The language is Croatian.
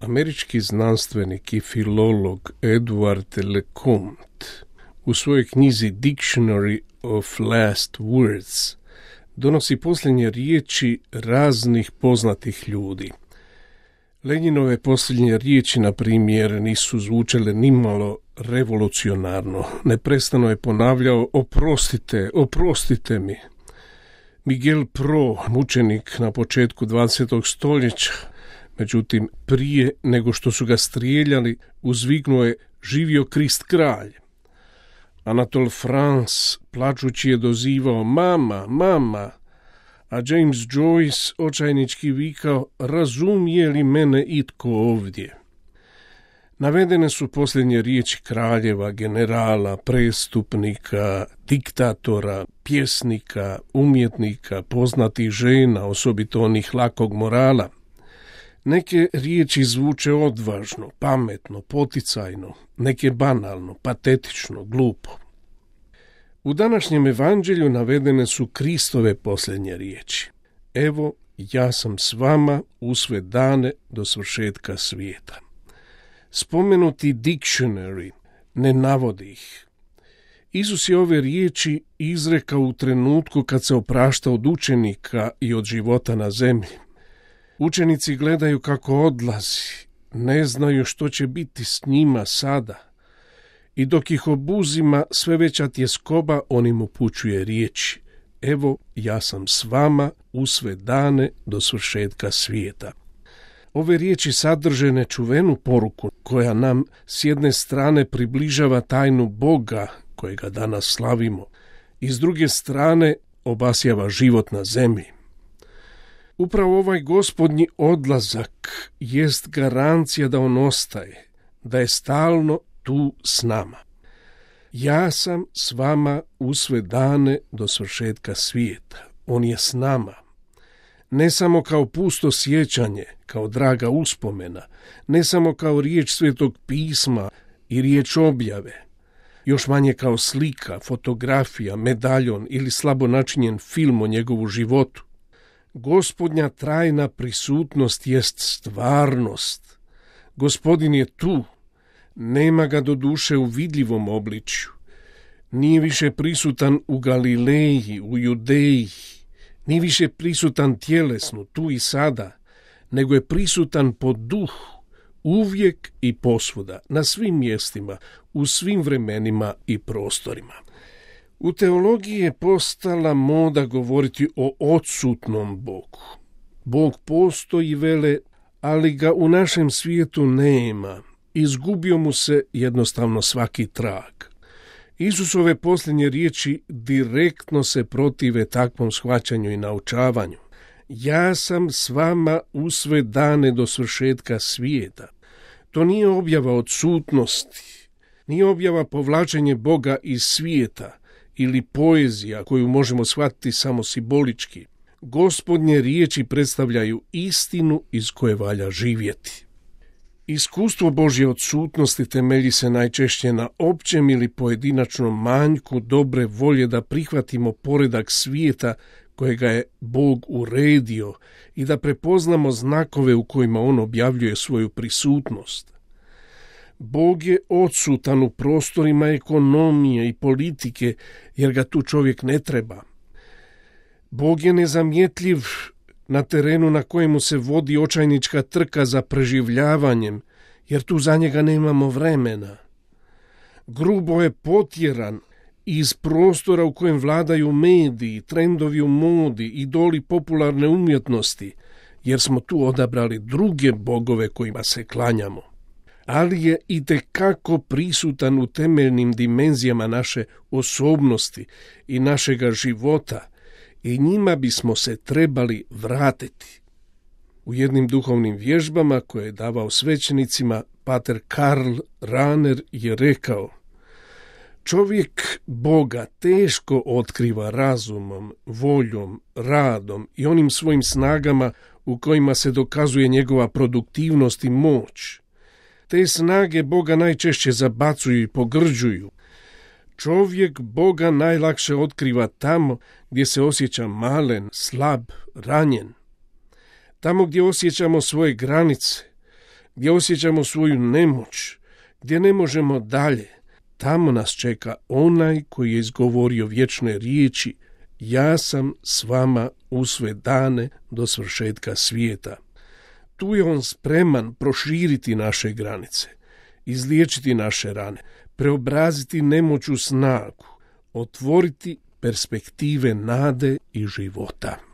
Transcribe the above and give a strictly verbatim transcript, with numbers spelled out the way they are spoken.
Američki znanstvenik i filolog Edward LeCompte u svojoj knjizi Dictionary of Last Words donosi posljednje riječi raznih poznatih ljudi. Lenjinove posljednje riječi, na primjer, nisu zvučale nimalo revolucionarno. Neprestano je ponavljao: oprostite, oprostite mi. Miguel Pro, mučenik na početku dvadesetog stoljeća, međutim, prije nego što su ga strijeljali, uzviknuo je: živio Krist kralj. Anatole France, plačući, je dozivao: mama, mama, a James Joyce očajnički vikao: razumije li mene itko ovdje? Navedene su posljednje riječi kraljeva, generala, prestupnika, diktatora, pjesnika, umjetnika, poznatih žena, osobito onih lakog morala. Neke riječi zvuče odvažno, pametno, poticajno, neke banalno, patetično, glupo. U današnjem evanđelju navedene su Kristove posljednje riječi: evo, ja sam s vama u sve dane do svršetka svijeta. Spomenuti dictionary ne navodi ih. Isus je ove riječi izrekao u trenutku kad se oprašta od učenika i od života na zemlji. Učenici gledaju kako odlazi, ne znaju što će biti s njima sada. I dok ih obuzima sve veća tjeskoba, on im upućuje riječi: evo, ja sam s vama u sve dane do svršetka svijeta. Ove riječi sadrže nečuvenu poruku koja nam s jedne strane približava tajnu Boga kojega danas slavimo i s druge strane obasjava život na zemlji. Upravo ovaj gospodnji odlazak jest garancija da on ostaje, da je stalno tu s nama. Ja sam s vama u sve dane do svršetka svijeta. On je s nama. Ne samo kao pusto sjećanje, kao draga uspomena, ne samo kao riječ Svetog pisma i riječ objave, još manje kao slika, fotografija, medaljon ili slabo načinjen film o njegovu životu. Gospodnja trajna prisutnost jest stvarnost. Gospodin je tu, nema ga do duše u vidljivom obličju. Nije više prisutan u Galileji, u Judeji, nije više prisutan tjelesno, tu i sada, nego je prisutan po duhu, uvijek i posvuda, na svim mjestima, u svim vremenima i prostorima. U teologiji je postala moda govoriti o odsutnom Bogu. Bog postoji, vele, ali ga u našem svijetu nema. Izgubio mu se jednostavno svaki trag. Isusove posljednje riječi direktno se protive takvom shvaćanju i naučavanju. Ja sam s vama u sve dane do svršetka svijeta. To nije objava odsutnosti, nije objava povlačenje Boga iz svijeta ili poezija koju možemo shvatiti samo simbolički. Gospodnje riječi predstavljaju istinu iz koje valja živjeti. Iskustvo Božje odsutnosti temelji se najčešće na općem ili pojedinačnom manjku dobre volje da prihvatimo poredak svijeta kojega je Bog uredio i da prepoznamo znakove u kojima on objavljuje svoju prisutnost. Bog je odsutan u prostorima ekonomije i politike, jer ga tu čovjek ne treba. Bog je nezamjetljiv na terenu na kojemu se vodi očajnička trka za preživljavanjem, jer tu za njega nemamo vremena. Grubo je potjeran iz prostora u kojem vladaju mediji, trendovi u modi, idoli popularne umjetnosti, jer smo tu odabrali druge bogove kojima se klanjamo. Ali je itekako prisutan u temeljnim dimenzijama naše osobnosti i našega života, i njima bismo se trebali vratiti. U jednim duhovnim vježbama koje je davao svećenicima, pater Karl Rahner je rekao: čovjek Boga teško otkriva razumom, voljom, radom i onim svojim snagama u kojima se dokazuje njegova produktivnost i moć. Te snage Boga najčešće zabacuju i pogrđuju. Čovjek Boga najlakše otkriva tamo gdje se osjeća malen, slab, ranjen. Tamo gdje osjećamo svoje granice, gdje osjećamo svoju nemoć, gdje ne možemo dalje, tamo nas čeka onaj koji je izgovorio vječne riječi: ja sam s vama u sve dane do svršetka svijeta. Tu je on spreman proširiti naše granice, izliječiti naše rane, preobraziti nemoć u snagu, otvoriti perspektive nade i života.